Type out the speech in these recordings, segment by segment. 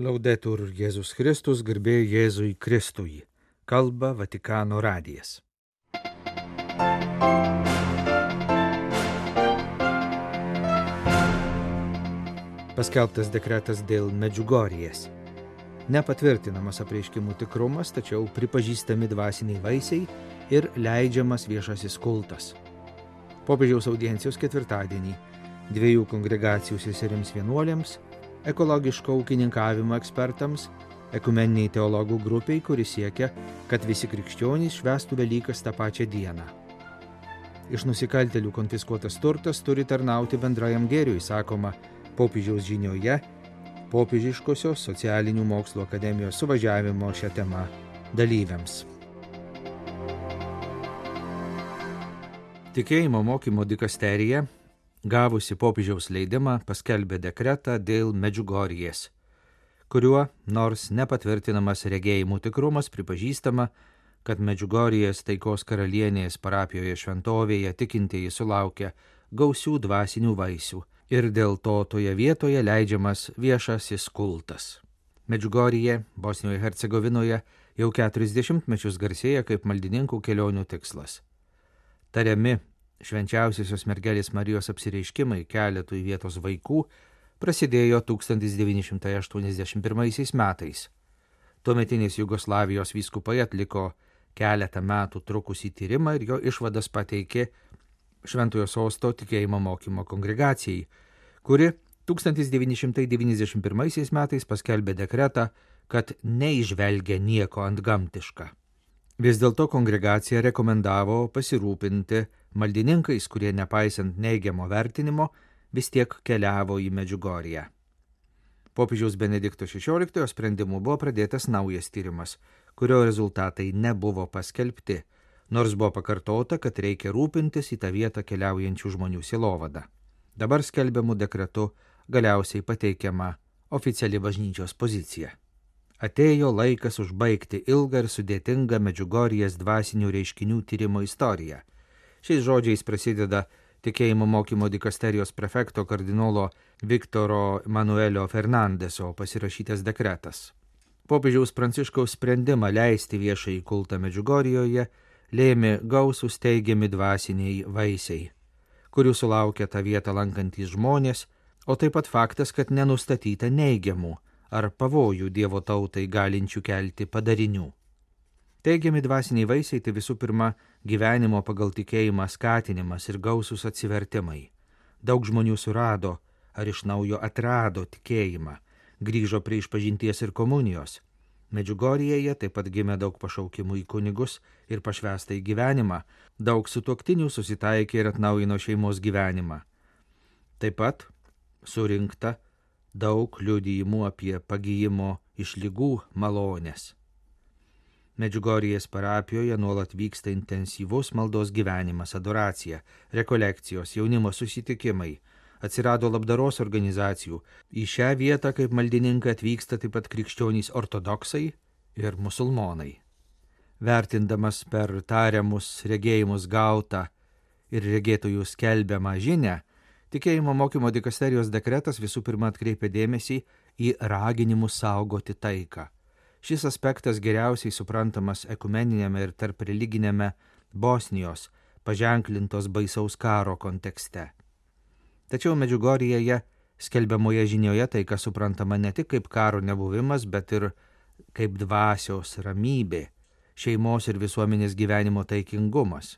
Laudetur Jėzus Kristus, garbė Jėzui Kristui. Kalba Vatikano radijas. Paskelbtas dekretas dėl Medžiugorjės. Nepatvirtinamas apreiškimų tikrumas, tačiau pripažįstami dvasiniai vaisiai ir leidžiamas viešasis kultas. Popiežiaus audiencijos ketvirtadienį 2 kongregacijų seserims vienuolėms, ekologiško ūkininkavimo ekspertams, ekumeniniai teologų grupiai, kuri siekia, kad visi krikščionys švęstų Velykas tą pačią dieną. Iš nusikaltėlių konfiskuotas turtas turi tarnauti bendrajam gėriui, sakoma popiežiaus žinioje, popiežiškosios socialinių mokslų akademijos suvažiavimo šią temą dalyviams. Tikėjimo mokymo dikasterija, gavusi popiežiaus leidimą, paskelbė dekretą dėl Medžiugorjės, kuriuo, nors nepatvirtinamas regėjimų tikrumas, pripažįstama, kad Medžiugorjės taikos karalienės parapijoje šventovėje tikintieji sulaukia gausių dvasinių vaisių ir dėl to toje vietoje leidžiamas viešasis kultas. Medžiugorjė, Bosnijoje Hercegovinoje, jau 40 mečius garsėja kaip maldininkų kelionių tikslas. Tariami švenčiausiosios mergelės Marijos apsireiškimai keletui vietos vaikų prasidėjo 1981 metais. Tuometinės Jugoslavijos vyskupai atliko keletą metų trukusį tyrimą ir jo išvadas pateikė Šventojo Sosto tikėjimo mokymo kongregacijai, kuri 1991 metais paskelbė dekretą, kad neižvelgia nieko antgamtiška. Vis dėlto kongregacija rekomendavo pasirūpinti maldininkais, kurie nepaisant neigiamo vertinimo vis tiek keliavo į Medžiugorję. Popiežiaus Benedikto XVI sprendimu buvo pradėtas naujas tyrimas, kurio rezultatai nebuvo paskelbti, nors buvo pakartota, kad reikia rūpintis į tą vietą keliaujančių žmonių sielovadą. Dabar skelbiamų dekretu galiausiai pateikiama oficiali bažnyčios pozicija. Atėjo laikas užbaigti ilgą ir sudėtingą Medžiugorjės dvasinių reiškinių tyrimo istoriją. Šiais žodžiais prasideda tikėjimo mokymo dikasterijos prefekto kardinolo Viktoro Manuelio Fernandeso pasirašytas dekretas. Popiežiaus Pranciškaus sprendimą leisti viešąjį kultą Medžiugorjoje lėmė gausūs teigiami dvasiniai vaisiai, kurių sulaukia tą vietą lankantys žmonės, o taip pat faktas, kad nenustatyta neigiamų ar pavojų Dievo tautai galinčių kelti padarinių. Teigiami dvasiniai vaisiai tai visų pirma gyvenimo pagal tikėjimą skatinimas ir gausūs atsivertimai. Daug žmonių surado ar iš naujo atrado tikėjimą, grįžo prie išpažinties ir komunijos. Medžiugorjėje taip pat gimė daug pašaukimų į kunigus ir pašvęstą į gyvenimą, daug sutuoktinių susitaikė ir atnaujino šeimos gyvenimą. Taip pat surinkta daug liudijimų apie pagijimo iš ligų malonės. Medžiugorjės parapijoje nuolat vyksta intensyvus maldos gyvenimas, adoracija, rekolekcijos, jaunimo susitikimai, atsirado labdaros organizacijų. Į šią vietą kaip maldininkai atvyksta taip pat krikščionys ortodoksai ir musulmonai. Vertindamas per tariamus regėjimus gautą ir regėtojų skelbiamą žinią, tikėjimo mokymo dikasterijos dekretas visų pirma atkreipia dėmesį į raginimus saugoti taiką. Šis aspektas geriausiai suprantamas ekumeninėme ir tarp religinėme Bosnijos paženklintos baisaus karo kontekste. Tačiau Medžiugorjėje skelbiamoje žinioje taika suprantama ne tik kaip karo nebuvimas, bet ir kaip dvasios ramybė, šeimos ir visuomenės gyvenimo taikingumas.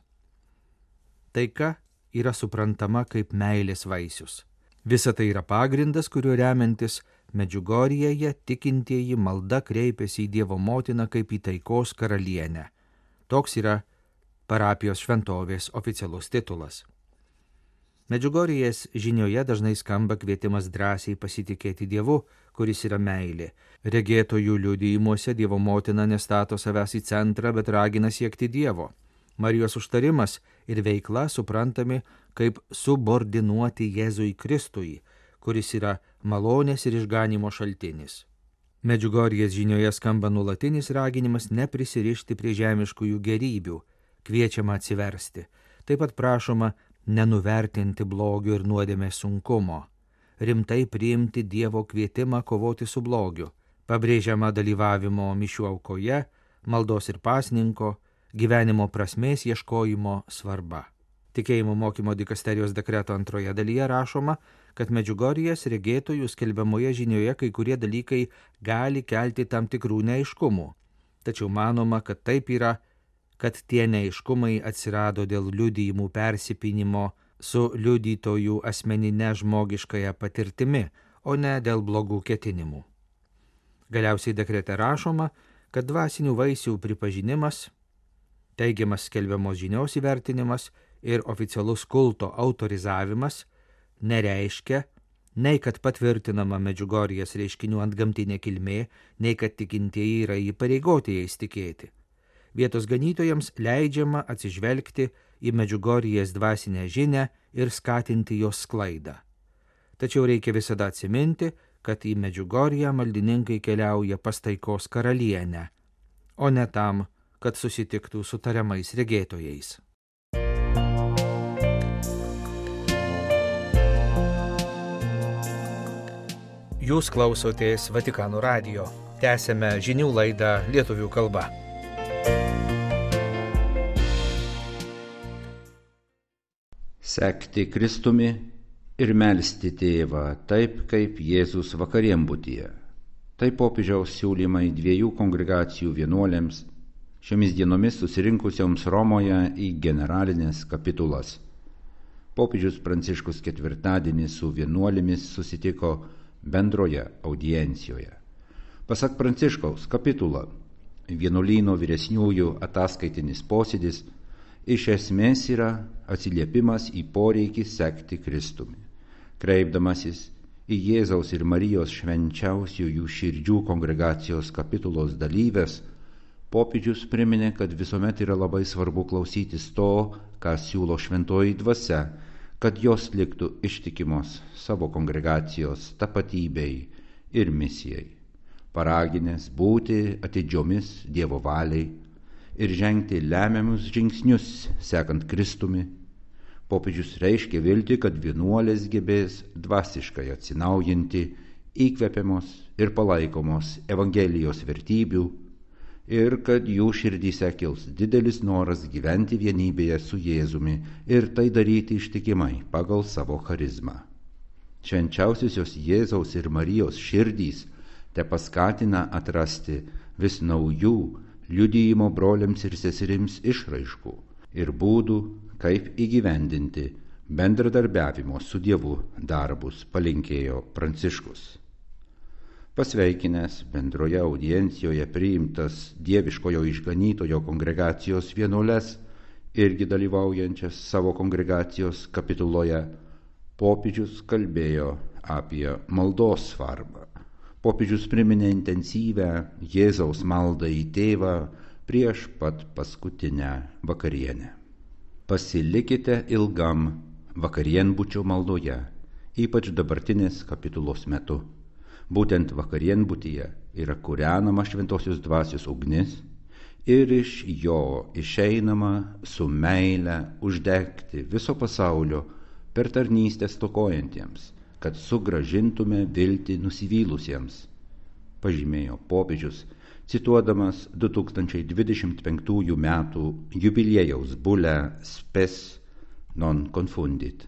Taika yra suprantama kaip meilės vaisius. Visa tai yra pagrindas, kuriuo remiantis Medžiugorjėje tikintieji malda kreipiasi į Dievo motiną kaip į taikos karalienę. Toks yra parapijos šventovės oficialus titulas. Medžiugorjės žinioje dažnai skamba kvietimas drąsiai pasitikėti Dievu, kuris yra meilė. Regėtojų liudijimuose Dievo motina nestato savęs į centrą, bet ragina siekti Dievo. Marijos užtarimas ir veikla suprantami kaip subordinuoti Jėzui Kristui, kuris yra malonės ir išganimo šaltinis. Medžiugorjės žinioje skamba nuolatinis raginimas neprisirišti prie žemiškųjų gerybių, kviečiama atsiversti. Taip pat prašoma nenuvertinti blogio ir nuodėmės sunkumo, rimtai priimti Dievo kvietimą kovoti su blogiu, Pabrėžiama dalyvavimo mišių aukoje, maldos ir pasninko, gyvenimo prasmės ieškojimo svarba. Tikėjimo mokymo dikasterijos dekreto antroje dalyje rašoma, kad Medžiugorjės regėtojų skelbiamoje žinioje kai kurie dalykai gali kelti tam tikrų neaiškumų. Tačiau manoma, kad taip yra, kad tie neaiškumai atsirado dėl liudijimų persipynimo su liudytojų asmeninė žmogiškąja patirtimi, o ne dėl blogų ketinimų. Galiausiai dekrete rašoma, kad dvasinių vaisių pripažinimas, teigiamas skelbiamos žinios įvertinimas ir oficialus kulto autorizavimas nereiškia, nei kad patvirtinama Medžiugorjės reiškinių antgamtinė kilmė, nei kad tikintieji yra įpareigoti jais tikėti. Vietos ganytojams leidžiama atsižvelgti į Medžiugorjės dvasinę žinią ir skatinti jos sklaidą. Tačiau reikia visada atsiminti, kad į Medžiugorję maldininkai keliauja pas taikos karalienę, o ne tam, kad susitiktų su tariamais regėtojais. Jūs klausotės Vatikano radijo. Tęsiame žinių laidą lietuvių kalba. Sekti Kristumi ir melsti Tėvą, taip kaip Jėzus vakarienbutyje. Tai popiežiaus siūlymai 2 kongregacijų vienuolėms, šiomis dienomis susirinkusioms Romoje į generalinės kapitulas. Popiežius Pranciškus ketvirtadienį su vienuolėmis susitiko bendroje audiencijoje. Pasak Pranciškaus, kapitula, vienuolyno vyresniųjų ataskaitinis posėdis, iš esmės yra atsiliepimas į poreikį sekti Kristumi. Kreipdamasis į Jėzaus ir Marijos švenčiausiųjų širdžių kongregacijos kapitulos dalyves, popiežius priminė, kad visuomet yra labai svarbu klausytis to, ką siūlo šventoji dvasia, kad jos liktų ištikimos savo kongregacijos tapatybei ir misijai, paraginęs būti atidžiomis Dievo valiai ir žengti lemiamus žingsnius sekant Kristumi. Popiežius reiškia viltį, kad vienuolės gebės dvasiškai atsinaujinti, įkvepiamos ir palaikomos Evangelijos vertybių ir kad jų širdyse kils didelis noras gyventi vienybėje su Jėzumi ir tai daryti ištikimai pagal savo charizmą. Švenčiausiosios Jėzaus ir Marijos širdys te paskatina atrasti vis naujų liudijimo broliams ir seserims išraiškų ir būdų, kaip įgyvendinti bendradarbiavimo su Dievu darbus, palinkėjo Pranciškus. Pasveikinęs bendroje audiencijoje priimtas dieviškojo išganytojo kongregacijos vienuoles, irgi dalyvaujančias savo kongregacijos kapituloje, popiežius kalbėjo apie maldos svarbą. Popiežius priminė intensyvę Jėzaus maldą į Tėvą prieš pat paskutinę vakarienę. Pasilikite ilgam vakarienbučio maldoje, ypač dabartinės kapitulos metu. Būtent vakarienbutyje yra kūrenama šventosios dvasios ugnis ir iš jo išeinama su meile uždegti viso pasaulio per tarnystę stokojantiems, kad sugrąžintume viltį nusivylusiems, pažymėjo popiežius, cituodamas 2025 metų jubiliejaus bulę Spes non confundit.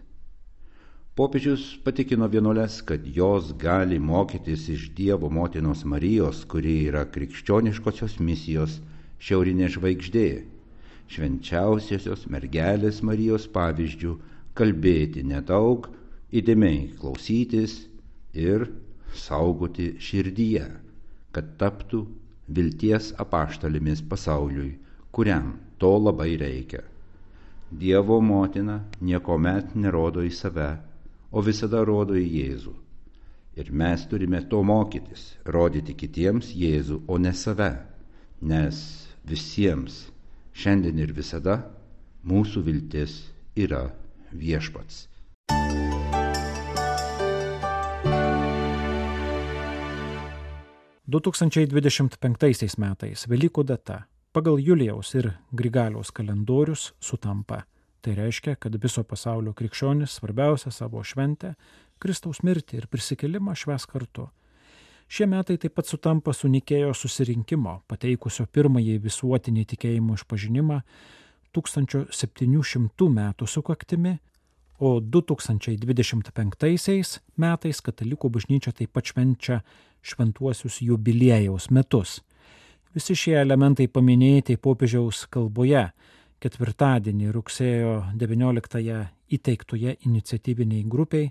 Popiežius patikino vienuoles, kad jos gali mokytis iš Dievo motinos Marijos, kuri yra krikščioniškosios misijos šiaurinė žvaigždė, švenčiausiosios mergelės Marijos pavyzdžių kalbėti nedaug, įdėmiai klausytis ir saugoti širdyje, kad taptų vilties apaštalimis pasauliui, kuriam to labai reikia. Dievo motina niekuomet nerodo į save, o visada rodo į Jėzų. Ir mes turime to mokytis, rodyti kitiems Jėzų, o ne save, nes visiems šiandien ir visada mūsų viltis yra Viešpats. – 2025 metais Velykų data pagal Julijaus ir Grigaliaus kalendorius sutampa. Tai reiškia, kad viso pasaulio krikščionys svarbiausia savo šventę, Kristaus mirtį ir prisikėlimą švęs kartu. Šie metai taip pat sutampa su Nikėjos susirinkimo, pateikusio pirmąjį visuotinį tikėjimo išpažinimą 1700 metų sukaktimi, o 2025 metais katalikų bažnyčia taip pat švenčia šventuosius jubiliejaus metus. Visi šie elementai paminėti popiežiaus kalboje ketvirtadienį rugsėjo 19-ąją įteiktoje iniciatyviniai grupiai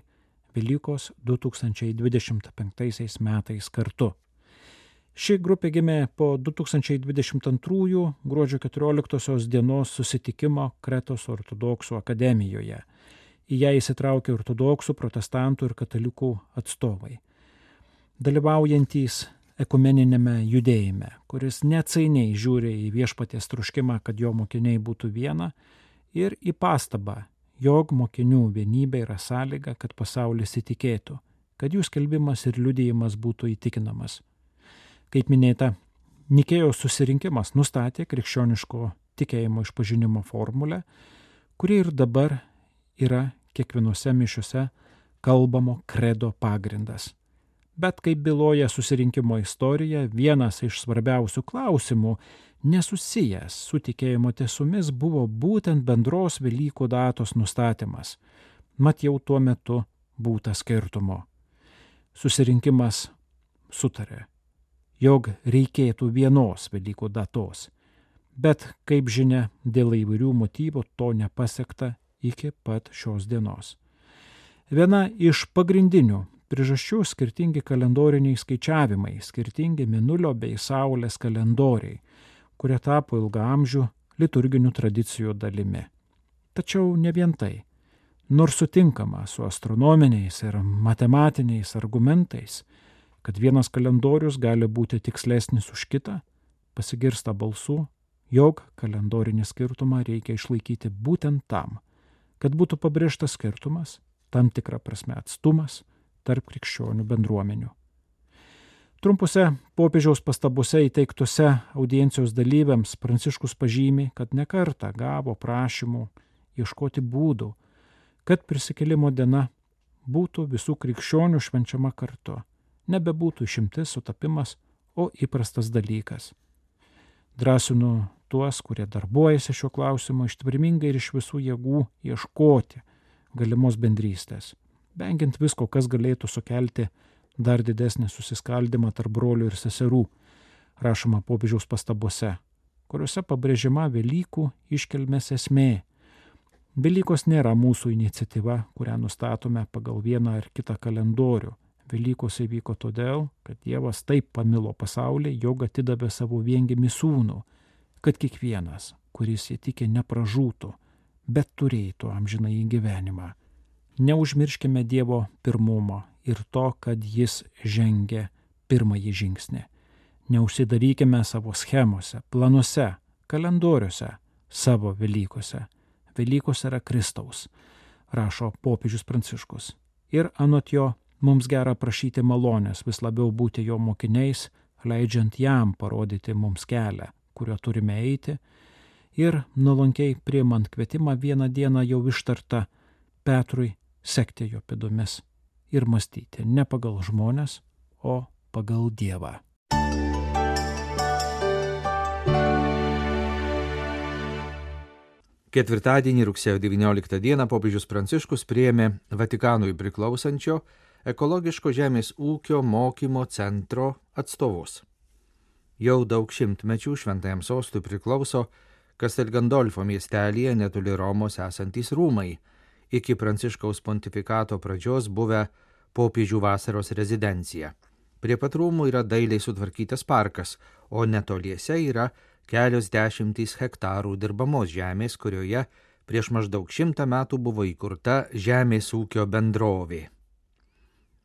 Velykos 2025 metais kartu. Ši grupė gimė po 2022 gruodžio 14 dienos susitikimo Kretos ortodoksų akademijoje. Į ją įsitraukė ortodoksų, protestantų ir katalikų atstovai, dalyvaujantys ekumeninėme judėjime, kuris neatsainiai žiūri į viešpaties troškimą, kad jo mokiniai būtų viena, ir į pastabą, jog mokinių vienybė yra sąlyga, kad pasaulis įtikėtų, kad jų skelbimas ir liudijimas būtų įtikinamas. Kaip minėta, Nikėjos susirinkimas nustatė krikščioniško tikėjimo išpažinimo formulę, kuri ir dabar yra kiekvienose mišiuose kalbamo kredo pagrindas. Bet kaip byloja susirinkimo istorija, vienas iš svarbiausių klausimų, nesusijęs su tikėjimo tiesomis, buvo būtent bendros Velykų datos nustatymas. Mat jau tuo metu būta skirtumo. Susirinkimas sutarė, jog reikėtų vienos Velykų datos, bet, kaip žinia, dėl įvairių motyvų to nepasiekta iki pat šios dienos. Viena iš pagrindinių priežasčių skirtingi kalendoriniai skaičiavimai, skirtingi Mėnulio bei Saulės kalendoriai, kurie tapo ilgaamžių liturginių tradicijų dalimi. Tačiau ne vien tai. Nors sutinkama su astronominiais ir matematiniais argumentais, kad vienas kalendorius gali būti tikslesnis už kitą, pasigirsta balsų, jog kalendorinį skirtumą reikia išlaikyti būtent tam, kad būtų pabrėžtas skirtumas, tam tikra prasme atstumas tarp krikščionių bendruomenių. Trumpose popiežiaus pastabose įteiktose audiencijos dalyviams Pranciškus pažymi, kad nekartą gavo prašymų ieškoti būdų, kad prisikėlimo diena būtų visų krikščionių švenčiama kartu, nebebūtų išimtis, sutapimas, o įprastas dalykas. Drąsinu tuos, kurie darbuojasi šiuo klausimu, ištvermingai ir iš visų jėgų ieškoti galimos bendrystės, vengiant visko, kas galėtų sukelti dar didesnį susiskaldimą tarp brolių ir seserų, rašoma popiežiaus pastabose, kuriuose pabrėžiama Velykų iškilmės esmė. Velykos nėra mūsų iniciatyva, kurią nustatome pagal vieną ar kitą kalendorių. Velykos įvyko todėl, kad Dievas taip pamilo pasaulį, jog atidavė savo viengimį sūnų, kad kiekvienas, kuris įtikė, nepražūtų, bet turėtų amžinąjį gyvenimą. Neužmirškime Dievo pirmumo ir to, kad jis žengė pirmąjį žingsnį. Neužsidarykime savo schemose, planuose, kalendoriuose, savo Velykose. Velykos yra Kristaus, rašo popiežius Pranciškus. Ir anot jo, mums gera prašyti malonės, vis labiau būti jo mokiniais, leidžiant jam parodyti mums kelią, kuriuo turime eiti, ir nuolankiai priimant kvietimą vieną dieną jau ištartą Petrui sekti jo pėdomis ir mąstyti ne pagal žmones, o pagal Dievą. Ketvirtadienį rugsėjo 19 dieną popiežius Pranciškus priėmė Vatikanui priklausančio ekologiško žemės ūkio mokymo centro atstovus. Jau daug šimtmečių šventajam sostui priklauso Castel Gandolfo miestelyje netoli Romos esantys rūmai, iki Pranciškaus pontifikato pradžios buvę popiežių vasaros rezidencija. Prie pat rūmų yra dailiai sutvarkytas parkas, o netoliese yra kelios dešimtys hektarų dirbamos žemės, kurioje prieš maždaug 100 metų buvo įkurta žemės ūkio bendrovė.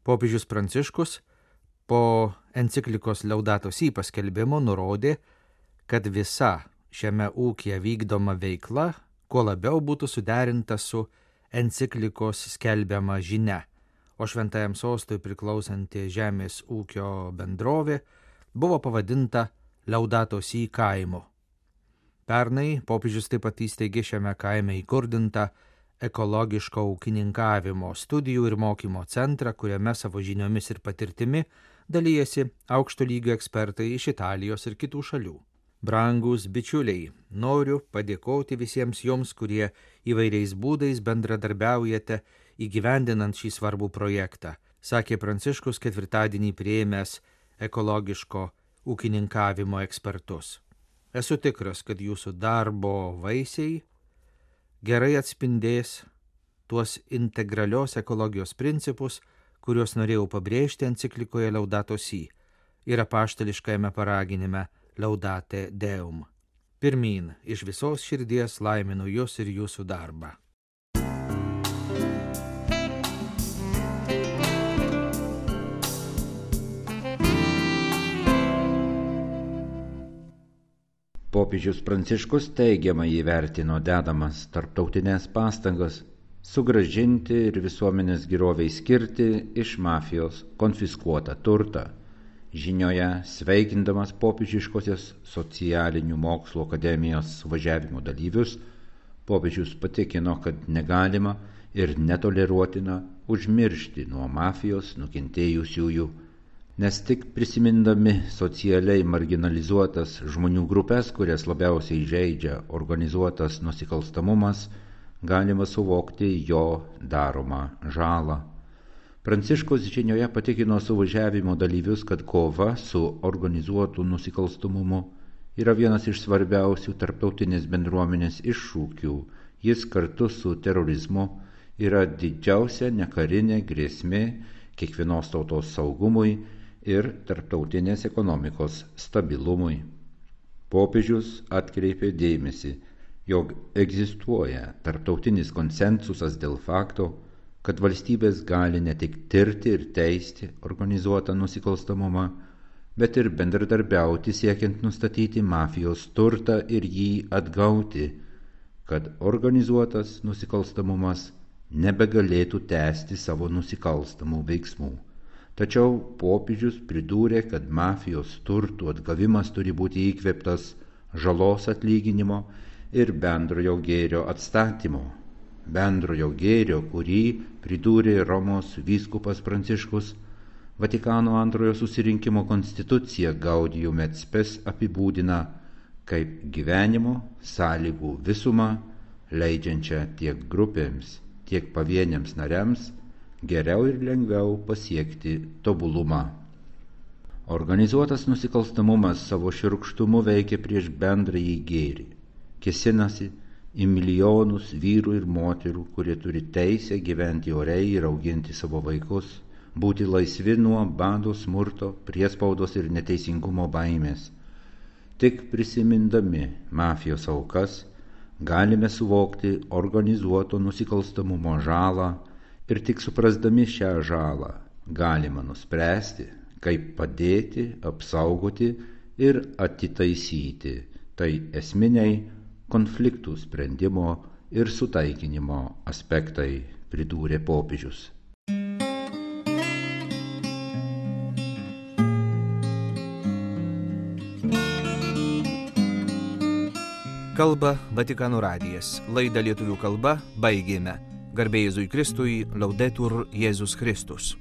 Popiežius Pranciškus po enciklikos Laudato Si paskelbimo nurodė, kad visa šiame ūkyje vykdoma veikla kuo labiau būtų suderinta su enciklikos skelbiama žinia, o šventajam sostui priklausanti žemės ūkio bendrovė buvo pavadinta Laudato Si kaimu. Pernai popiežius taip pat įsteigė šiame kaime įkurdintą ekologiško ūkininkavimo studijų ir mokymo centrą, kuriame savo žiniomis ir patirtimi dalyjasi aukšto lygio ekspertai iš Italijos ir kitų šalių. Brangūs bičiuliai, noriu padėkoti visiems jums, kurie įvairiais būdais bendradarbiaujate įgyvendinant šį svarbų projektą, sakė Pranciškus ketvirtadienį priėmęs ekologiško ūkininkavimo ekspertus. Esu tikras, kad jūsų darbo vaisiai gerai atspindės tuos integralios ekologijos principus, kuriuos norėjau pabrėžti enciklikoje Laudato Si ir apaštališkajame paraginime Laudate Deum. Pirmyn, iš visos širdies laiminu jūs ir jūsų darbą. Popiežius Pranciškus teigiamai įvertino dedamas tarptautinės pastangas sugrąžinti ir visuomenės geroviai skirti iš mafijos konfiskuotą turtą. Žinioje, sveikindamas popiežiškosios socialinių mokslų akademijos suvažiavimo dalyvius, popiežius patikino, kad negalima ir netoleruotina užmiršti nuo mafijos nukentėjusiųjų, nes tik prisimindami socialiai marginalizuotas žmonių grupės, kurias labiausiai žeidžia organizuotas nusikalstamumas, galima suvokti jo daromą žalą. Pranciškus žinioje patikino suvažiavimo dalyvius, kad kova su organizuotu nusikalstamumu yra vienas iš svarbiausių tarptautinės bendruomenės iššūkių. Jis kartu su terorizmu yra didžiausia nekarinė grėsmė kiekvienos tautos saugumui ir tarptautinės ekonomikos stabilumui. Popiežius atkreipė dėmesį, jog egzistuoja tarptautinis konsensusas dėl fakto, kad valstybės gali ne tik tirti ir teisti organizuotą nusikalstamumą, bet ir bendradarbiauti siekiant nustatyti mafijos turtą ir jį atgauti, kad organizuotas nusikalstamumas nebegalėtų tęsti savo nusikalstamų veiksmų. Tačiau popiežius pridūrė, kad mafijos turtų atgavimas turi būti įkvėptas žalos atlyginimo ir bendrojo gėrio atstatymo. Bendrojo gėrio, kurį pridūrė Romos vyskupas Pranciškus, Vatikano antrojo susirinkimo konstitucija Gaudium et Spes apibūdina kaip gyvenimo sąlygų visumą, leidžiančią tiek grupėms, tiek pavieniams nariams geriau ir lengviau pasiekti tobulumą. Organizuotas nusikalstamumas savo šiurkštumu veikia prieš bendrąjį gėrį, kėsinasi į milijonus vyrų ir moterų, kurie turi teisę gyventi oriai ir auginti savo vaikus, būti laisvi nuo bado, smurto, priespaudos ir neteisingumo baimės. Tik prisimindami mafijos aukas galime suvokti organizuoto nusikalstamumo žalą ir tik suprasdami šią žalą galima nuspręsti, kaip padėti, apsaugoti ir atitaisyti. Tai esminiai konfliktų sprendimo ir sutaikinimo aspektai, pridūrė popiežius. Kalba Vatikano radijas. Laidą lietuvių kalba baigėme. Garbė Jėzui Kristui, Laudetur Jėzus Kristus.